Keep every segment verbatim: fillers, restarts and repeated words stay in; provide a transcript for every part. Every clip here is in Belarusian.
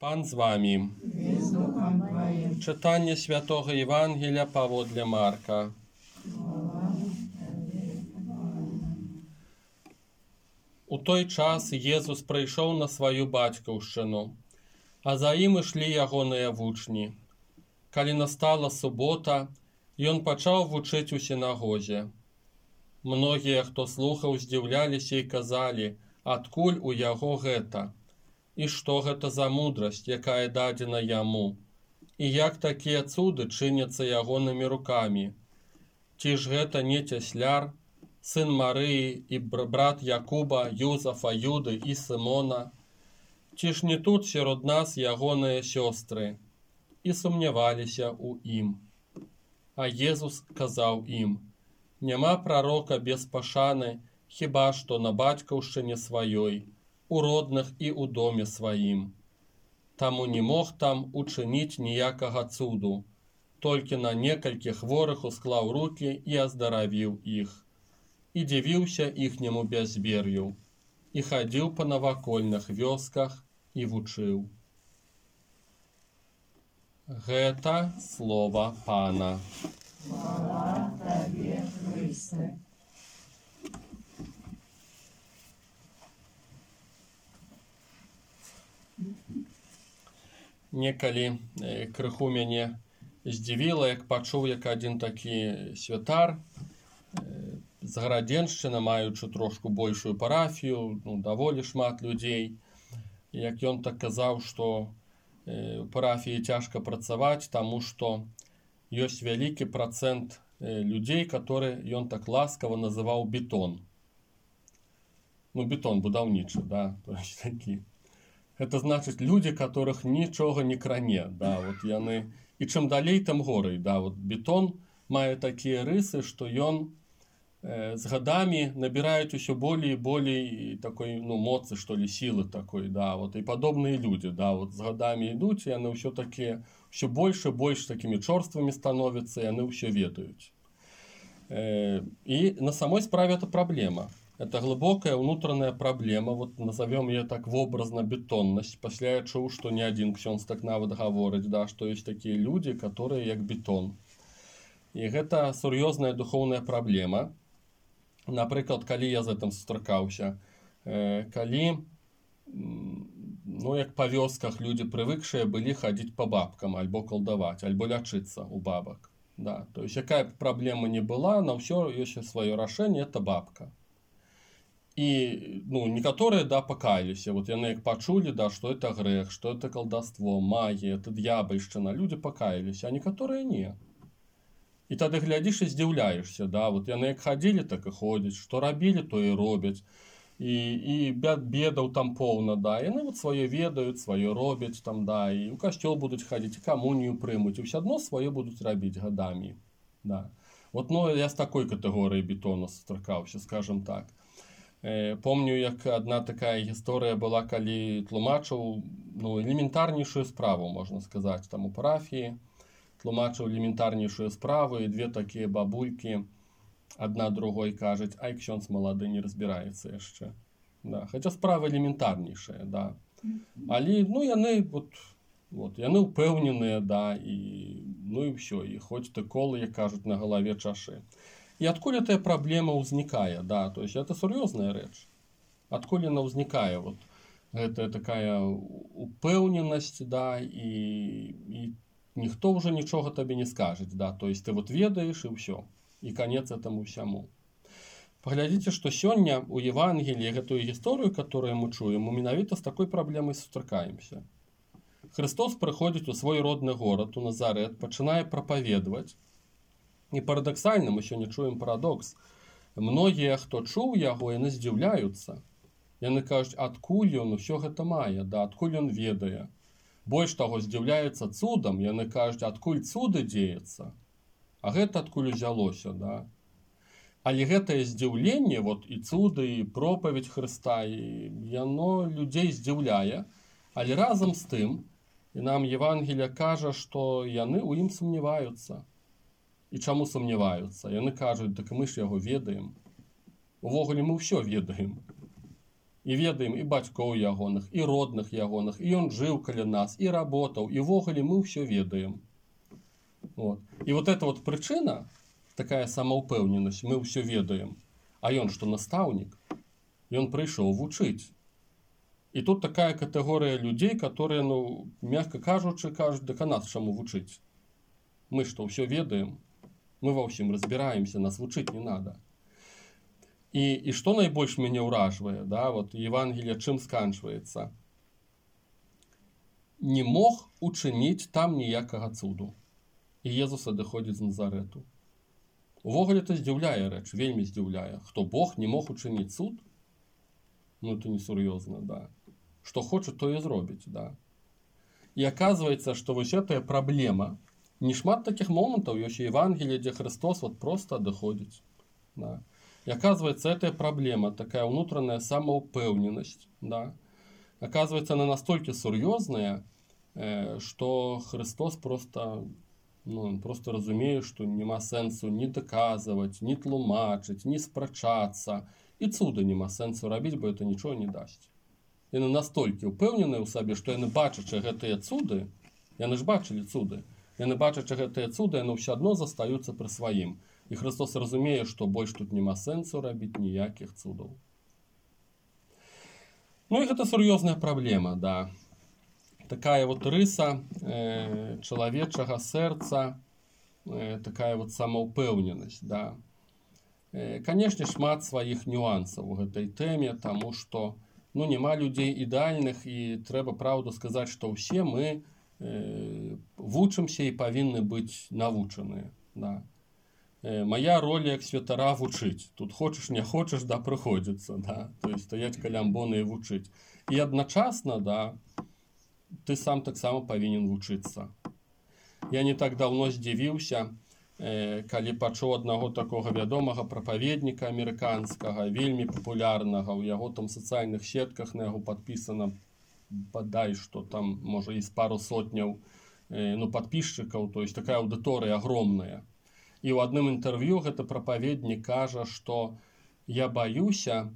Пан з вами. І з Духом Твоїм. Читання Святого Євангелія паводле Марка. У той час Єзус прийшов на свою батьківщину, а за ім ішлі ягоныя вучні. Калі настала субота, ён пачаў вучыць у сінагозе. Многія, хто слухаў, здзіўляліся і казалі, адкуль у яго гэта? І што гэта за мудрасць, якая дадзена яму? І як такія цуды чыняцца ягонымі рукамі? Ці ж гэта не цясляр, сын Марыі і брат Якуба, Юзафа, Юды і Сымона? Ці ж не тут сярод нас ягоныя сёстры? І сумняваліся ў ім. А Езус казаў ім: няма прарока без пашаны, хіба што на бацькаўшчыне сваёй, у родных і ў доме сваім. Таму не мог там учыніць ніякага цуду, толькі на некалькі хворых усклаў рукі і аздаравіў іх. І дзівіўся іхняму бязвер'ю, і хадзіў па навакольных вёсках і вучыў. Гэта слова Пана. Слава Табе, Христе. Некалі крыху мяне здзівіла, як пачуў, як адзін такі святар з Гарадзеншчыны, маючы трошку большую парафію, ну, даволі шмат людзей, як ён так казаў, што у парафіі цяжка працаваць, таму што ёсць вялікі працэнт людзей, которые ён так ласкава называў бетон. Ну, бетон будаўнічы, да, то есть такі. Гэта значыць людзі, которых нічога не кране, да, вот яны, і чым далей, тым горай, да, вот бетон мае такія рысы, што ён э, з гадамі набіраюць усё болей і болей такой, ну, моцы, што ли, сілы такой, да, вот, і падобныя людзі, да, вот, з гадамі ідуць, яны ўсё такія, ўсё больш і больш такімі чорствымі становяцца, яны ўсё ведаюць. Э, і на самой справе это праблема. Это глубокая внутренняя проблема, вот назовем ее так вобразно бетонность. После я чуў, что не один ксёндз так нават гаворыць, да, что есть такие люди, которые як бетон. И это сур'ёзная духовная проблема. Напрыклад, калі я з гэтым сустракаўся, э, калі, ну, як па вёсках люди прывыкшыя былі хадзіць по бабкам, альбо калдаваць, альбо лячыцца у бабак. Да. То есть, якая б праблема не была, на ўсё ёсць сваё рашэнне, это бабка. І, ну, некаторыя, да, пакаяліся, вот яны як пачулі, да, што это грэх, што это калдаство, магія, это д'ябальшчына, людзі пакаяліся, а некаторыя не. І тады глядзіш і здзіўляешся, да, вот яны як хадзілі, так і ходзяць, што рабілі, то і робяць, і, і бедаў там поўна, да, яны вот сваё ведаюць, сваё робяць там, да, і ў касцёл будуць хадзіць, і камунію прымуць, і ўсё адно сваё будуць рабіць гадамі, да. Вот, ну, я з такой катэгорыі бетона сустракаўся, скажем так. Помню, як одна такая гісторыя была, калі тлумачыў, ну, элементарнейшую справу, можна сказаць, там у парафіі, тлумачыў элементарнейшую справу, і две такія бабулькі, адна другой кажуць: ай, ксёндз малады не разбіраецца яшчэ. Да, хаця справа элементарнейшая, да. Але, ну, яны, вот, вот, яны ўпэўненыя, да, і, ну, і ўсё, і хоць ты колы, як кажуць, на галаве чашы. И откуда эта проблема возникает, да, то есть это серьезная речь. Откуда она возникает, вот, это такая упевненность, да, и, и никто уже ничего тебе не скажет, да, то есть ты вот ведаешь и все, и конец этому всему. Поглядите, что сегодня у Евангелия эту историю, которую мы чуем, мы менавіта с такой проблемой сустракаемся. Христос приходит у свой родный город, у Назарет, пачынае проповедовать. І парадаксальна, мы сёння чуем парадокс. Многія, хто чуў яго, яны здзіўляюцца. Яны кажуць, адкуль ён усё гэта мае, да, адкуль ён ведае. Больш таго, здзіўляюцца цудам, яны кажуць, адкуль цуды дзеецца. А гэта адкуль узялося, да. Але гэтае здзіўленне, вот, і цуды, і пропаведь Хрыста, і яно людзей здзіўляе, але разам з тым, і нам Евангелие кажа, што яны ў ім сумняваюцца. І чаму сумняваюцца? Яны кажуць, так мы ж яго ведаем. Увогуле мы ўсё ведаем. і ведаем і бацькоў ягоных, і родных ягоных, і ён жыў каля нас, і работаў, і ввогуле мы ўсё ведаем. Вот. І вот эта вот прычына, такая самаўпэўненасць, мы ўсё ведаем, а ён што настаўнік, ён прыйшоў вучыць. І тут такая катэгорыя людзей, которые, ну, мягка кажучы, кажуць, дык а нас чаму вучыць? Мы што, ўсё ведаем? Мы ва ўсім разбіраемся, нас вучыць не надо. І, і што найбольш мяне ўражвае, да, вот Евангелие чым сканчваецца? Не мог учыніць там ніякага цуду. І Езус адыходзіць з Назарету. Увогуле это здзіўляе рэч, вельмі здзіўляе. Хто Бог не мог учыніць цуд? Ну, это несур'ёзна, да. Што хоча, то і зробіць, да. І аказваецца, што вось гэтая праблема, не шмат такіх момантаў ёсць у Евангеліі, дзе Христос вот просто адыходзіць, да. И оказывается, эта проблема, такая внутренняя самоупевненность, да, оказывается, она настолько серьезная, э, что Христос просто, ну, просто разумеет, что нема сенсу ни доказывать, ни тлумачить, ни спрачаться, и цуда нема сенсу робить, бо это ничего не даст. И настолько упевнены у себе, что яны бачачы гэтыя цуды, яны ж бачылі цуды, яны бачачы гэтыя цуды, яны все одно застаюцца пры сваім. І Христос разумее, што больш тут нема сэнсу рабіць ніякіх цудаў. Ну і гэта сур'ёзная праблема, да. Такая вот рыса э, чалавечага сэрца, э, такая вот самаўпэўненасць, да. Э, Канешне, шмат сваіх нюансаў у гэтай тэме, таму што, ну, няма людзей ідэальных, і трэба праўду сказаць, што ўсе мы э, вучымся і павінны быць навучаныя, да. Моя роля як святара вучыць. Тут хочаш, не хочаш, да, прыходзіцца, да. То есть стаяць каля амбоны і вучыць. І адначасна, да, ты сам таксама павінен вучыцца. Я не так даўно здзівіўся, э, калі пачуў аднаго такога вядомага прапаведніка амерыканскага, вельмі папулярнага, у яго там сацыяльных сетках на яго падпісана, бадай, што там, можа, і з пару сотняў э, ну, падпісчыкаў, то есть такая аўдыторыя агромная. І ў адным інтэрв'ю гэты прапаведнік кажа, што я баюся,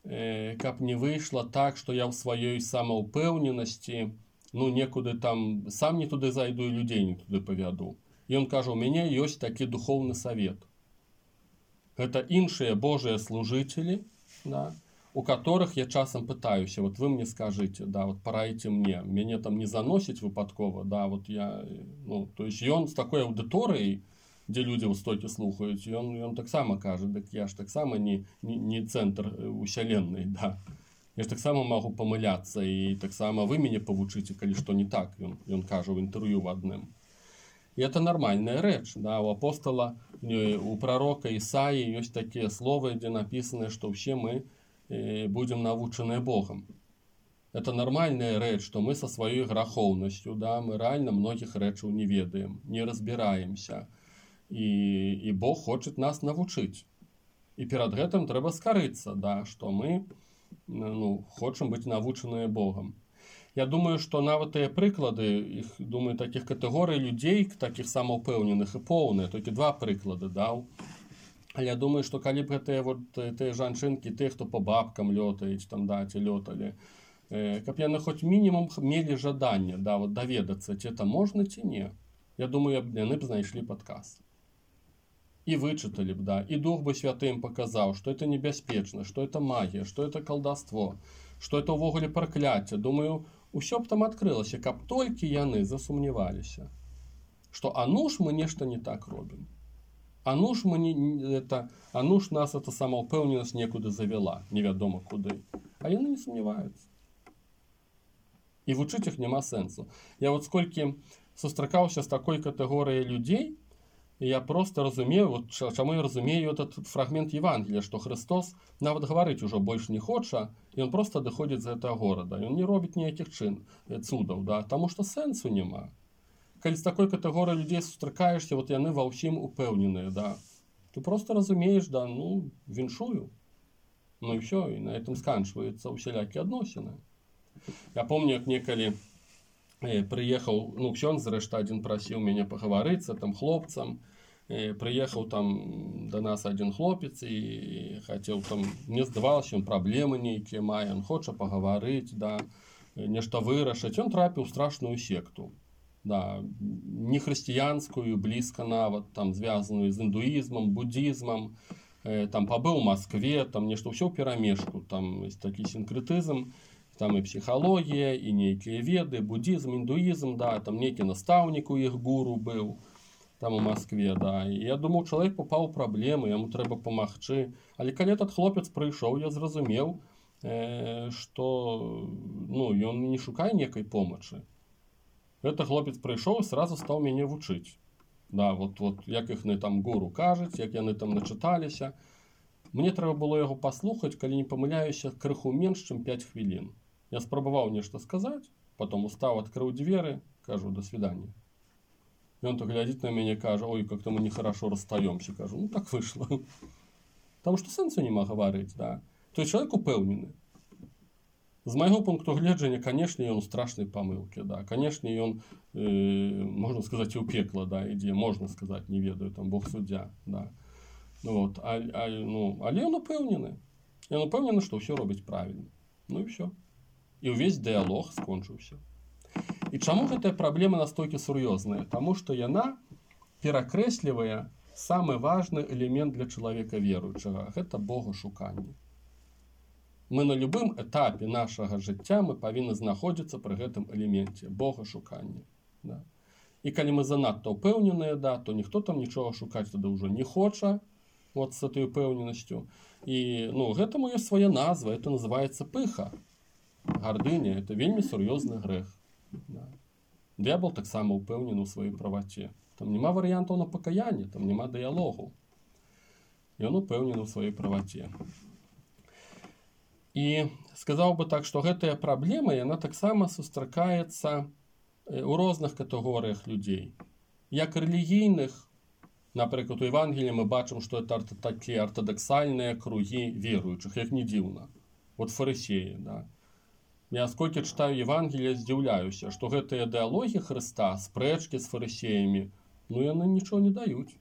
э, каб не выйшла так, што я ў сваёй самаўпэўненасці, ну, некуды там, сам не туды зайду і людзей не туды павяду. І ён кажа, у мяне ёсць такі духоўны савет. Гэта іншыя Божыя служыцелі, да, у которых я часам пытаюся, вот вы мне скажыце, да, вот параіце мне, мяне там не заносіць выпадкова, да, вот я, ну, то есть ён з такой аўдыторыяй, дзе людзі ў стойкі слухаюць, ён, ён таксама кажа, дык я ж таксама не, не, не цэнтр уселенной, да. Я ж таксама магу памыляцца, і таксама вы мяне павучыце, калі што не так, ён, ён кажа ў інтэрв'ю в адным. І это нармальная рэч, да, у апостала, у прарока Ісаі ёсць такія словы, дзе напісана, што ўсе мы э, будзем навучаныя Богам. Это нармальная рэч, што мы са сваёй грахоўнасцю, да, мы рэальна многіх рэчаў не ведаем, не разбіраемся. І, і Бог хоча нас навучыць. І перад гэтым трэба скарыцца, да, што мы, ну, хочам быць навучаныя Богам. Я думаю, што нават тыя прыклады, іх, думаю, такіх катэгорый людзей, такіх самаўпэўненых і поўныя, толькі два прыклады даў. Але я думаю, што калі б гэтыя вот, тыя жанчынкі, тыя, хто па бабкам лётаюць, там, да, ці лёталі, э, каб яны хоць мінімум мелі жаданне, да, вот, даведацца, ці это можна, ці не. Я думаю, яны б знайшлі падказ. И вычитали бы, да, и Дух бы Святы им показал, что это небяспечна, что это магия, что это колдовство, что это увогуле прокляття. Думаю, усё б там открылася, каб толькі яны засумневаліся, что а ну ж мы нешта не так робім. А ну ж мы не, это, а ну ж нас эта самаўпэўненасць некуды завела, невядома куды. А яны не сумневаюцца. І вучыць іх няма сэнсу. Я вот сколькі сустракаўся з такой катэгорыяй людзей, и я просто разумею, вот чаму я разумею этот фрагмент Евангелия, что Христос нават гаварыць ужо больш не хоча, и он просто доходит з гэтага горада, и он не робіць ніякіх чын, цудаў, да, тому что сэнсу няма. Калі з такой катэгорыяй людзей сустракаешься, вот яны ва ўсім упэўненыя, да, ты просто разумееш, да, ну, віншую, ну и все, и на этом сканчваюцца усялякія адносіны. Я помню, як некалі приехал, ну, ксёндз, зрэшта, адзін прасіў мяне пагаварыцца, там, хлопцам, Прыехаў там да нас адзін хлопец і хацеў там, мне здавалася, ён праблемы нейкія мае, ён хоча пагаварыць, да, нешта вырашыць. Ён трапіў у страшную секту. Да, не хрысціянскую, блізка нават, там звязаную з індуізмам, буддізмам. Там пабыў у Маскве, там нешта ўсё ў перамешку, там такі сінкрэтызм, там і псіхалогія, і нейкія веды, буддізм, індуізм, да, там нейкі настаўнік у іх гуру быў там у Маскве, да. І я думаў, чалавек папаў у праблемы, яму трэба памагчы. Але калі этот хлопец прыйшоў, я зразумеў, што ну, ён не шукае некай помачы. Гэты хлопец прыйшоў і сразу стаў мяне вучыць. Да, вот, вот, як іхны там гуру кажуць, як яны там начыталіся. Мне трэба было яго паслухаць, калі не памыляюся, крыху менш, чым пяць хвілін. Я спрабаваў нешта сказаць, потом устаў, адкрыў дзверы, кажу, до свидания. И он так глядит на меня и кажет, ой, как-то мы нехорошо расстаемся. Кажу, ну так вышло. Потому что сенсу нема говорить, да. То есть человек упэўнены. З майго пункту гледжання, канешне, ён у страшнай памылкі, да. Канешне, ён, э, можна сказаць, і ў пекла, да, ідзе, можна сказаць, не ведаю, там Бог суддзя, да. Ну, вот, а, а, ну, але ён упэўнены. Ён упэўнены, што ўсё робіць правільна. Ну і ўсё. І ўвесь дыялог скончыўся. І чаму гэтая праблема настолькі сур'ёзная? Таму што яна перакрэслівае самы важны элемент для чалавека веруючага. Гэта богашуканне. Мы на любым этапе нашага жыцця мы павінны знаходзіцца пры гэтым элеменце богашукання. Да. І калі мы занадта ўпэўненыя, да, то ніхто там нічога шукаць тады ўжо не хоча, вот з этой упэўненасцю. І ну, гэтаму ёсць свая назва, это называецца пыха. Гардыня, это вельмі сур'ёзны грэх. Да. Д'ябал таксама ўпэўнены ў сваёй праваце. Там няма варыянтаў на пакаянне, там няма дыялогу. Ён упэўнены ў сваёй праваце. І сказаў бы так, што гэтая праблема, яна таксама сустракаецца ў розных катэгорыях людзей. Як рэлігійных, напрыклад, у Евангеліі мы бачым, што это такія артадаксальныя кругі веруючых, як не дзіўна. Вот фарысеі, да. Я сколькі чытаю Евангелія, здзіўляюся, што гэтыя ідэалогіі Хрыста, спрэчкі з фарысеямі, ну яны нічого не даюць.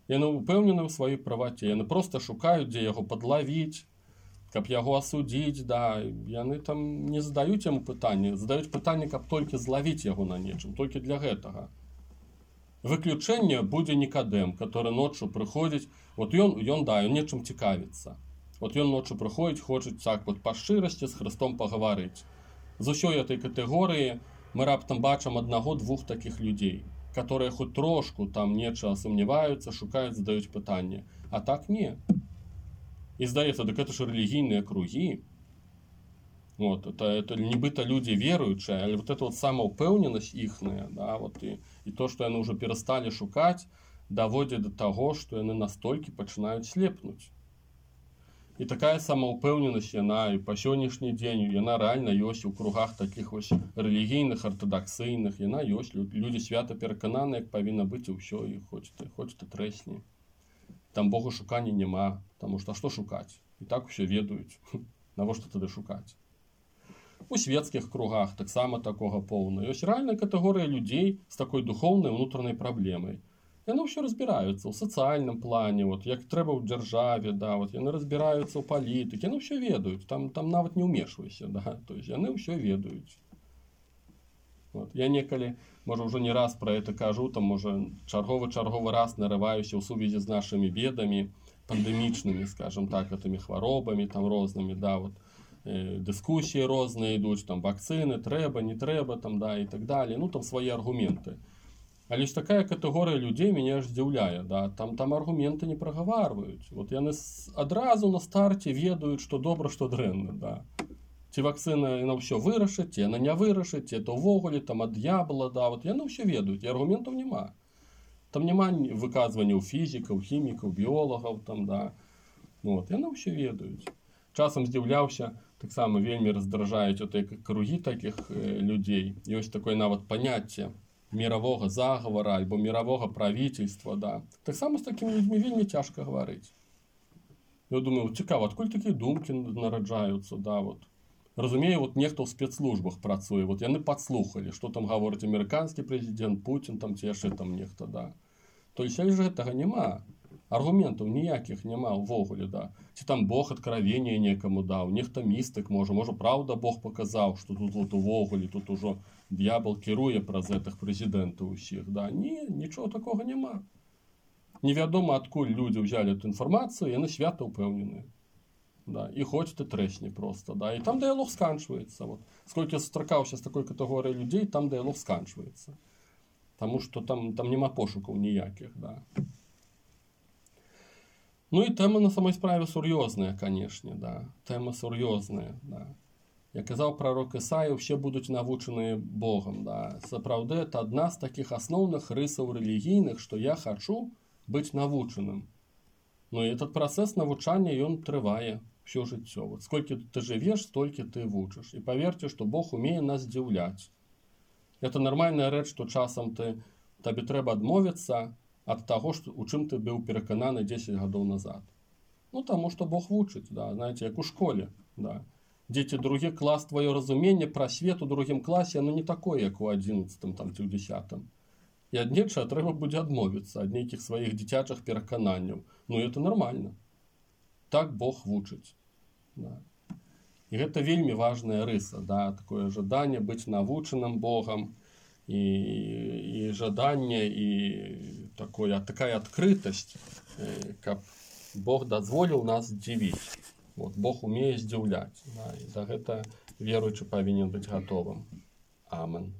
Яны ўпэўнены ў сваёй праваце, яны проста шукаюць, дзе яго падлавіць, каб яго асудзіць, да, яны там не задаюць яму пытанне, задаюць пытанне, каб толькі злавіць яго на нечым, толькі для гэтага. Выключэнне будзе Нікадэм, который ноччу прыходзіць, вот ён, ён, да, ён нечым цікавіцца. Вот ён ноччу прыходзіць, хочуць так вот па шчырасці з Хрыстом пагаварыць. З усёй этой катэгорыі мы раптам бачым аднаго-двух такіх людзей, которые хоць трошку там нечага сумняваюцца, шукаюць, задаюць пытанне. А так не. І здаецца, так это ж рэлігійныя кругі. Вот, это, это нібыта людзі веруючыя, але вот это вот самаўпэўненасць іхная, да, вот, і, і то, што яны ўжо перасталі шукаць, даводзіць да таго, што яны настолькі пачынаюць слепнуць. І такая самаўпэўненасць, яна і па сённяшні дзень, яна рэальна ёсць у кругах такіх вось рэлігійных, артадаксыйных, яна ёсць, людзі свята перакананы, як павінна быць і ўсё, і хоць ты, хоць ты трэсні. Там богашукання няма, таму што што шукаць? І так усё ведаюць. Навошта тады шукаць? У свецкіх кругах таксама такога поўна. Ёсць рэальная катэгорыя людзей з такой духоўнай унутранай праблемай. Яны ўсё разбіраюцца ў сацыяльным плане, вот, як трэба ў дзяржаве, да, вот, яны разбіраюцца ў палітыкі, яны ўсё ведаюць, там, там нават не ўмешвайся, да, то есть яны ўсё ведаюць. Вот. Я некалі, можа, ўжо не раз пра гэта кажу, там, можа, чарговы-чарговы раз нарываюся ў сувязі з нашымі бедамі, пандэмічнымі, скажем так, гэтымі хваробамі, там, рознымі, да, вот, э, дыскусіі розныя ідуць, там, вакцыны, трэба, не трэба, там, да, і так далее, ну, там, свае аргументы. Але ж такая катэгорыя людзей мяне аж здзіўляе, да, там, там аргументы не прагаварваюць. Вот яны адразу на старце ведаюць, што добра, што дрэнна, да. Ці вакцына яна ўсё вырашыць, ці яна не вырашыць, ці это ўвогуле там ад д'ябла, да, вот яны ўсё ведаюць, і аргументаў няма. Там няма выказванняў фізікаў, хімікаў, біолагаў, там, да. Вот, яны ўсё ведаюць. Часам здзіўляўся, таксама вельмі раздражаюць отыя кругі такіх э, людзей. Ёсць такое нават паняцце мирового заговора альбо мирового правительства, да. Таксама з такімі людзьмі вельмі цяжка гаварыць. Я думаю, цікава, адкуль такія думкі нараджаюцца, да, вот. Разумею, вот нехто ў спецслужбах працуе, вот яны падслухалі, што там гаворыць амерыканскі прэзідэнт, Путін, там ці яшчэ там нехта, да. То есть ж гэтага няма. Аргументаў ніякіх няма ўвогуле, да. Ці там Бог адкравення некаму даў, нехта містык можа, можа праўда Бог паказаў, што тут вот увогуле тут ужо д'ябал кіруе праз гэтых прэзідэнтаў усіх, да. Не, нічого такога няма. Невядома, адкуль людзі ўзялі эту інфармацыю, яны свята ўпэўненыя. Да, і хоць ты трэсні проста, да. І там дыялог сканчваецца. Вот. Сколькі я сустракаўся з такой катэгорыяй людзей, там дыялог сканчваецца. Таму што там, там няма пошукаў ніякіх, да. Ну і тэма на самой справе сур'ёзная, канешне, да. Тэма сур'ёзная, да. Як казаў прарок Ісая, усе будуць навучаныя Богам, да. Сапраўды, это адна з такіх асноўных рысаў рэлігійных, што я хачу быць навучаным. Ну і этот працэс навучання, ён трывае ўсё жыццё. Вот сколькі ты жывеш, столькі ты вучыш. І паверце, што Бог умее нас здзіўляць. Это нармальная рэч, што часам ты, табе трэба адмовіцца ад таго, што, у чым ты быў перакананы дзесяць гадоў назад. Ну, таму што Бог вучыць, да, знаеце, як у школе, да. Дзеці, другі клас, твоё разуменне пра свет у другім класе, оно не такое, як у адзінаццатым там, ці ў дзесятым. І ад нечага трэба будзе адмовіцца, ад нейкіх сваіх дзіцячых перакананняў. Ну, это нормально. Так Бог вучыць. Да. І гэта вельмі важная рыса, да, такое жаданне быць навучаным Богам, і, і жаданне, і такое, такая адкрытасць, каб Бог дазволіў нас здзівіць. Вот, Бог умее здзіўляць. Да, і за гэта веруючы павінен быць гатовым. Амен.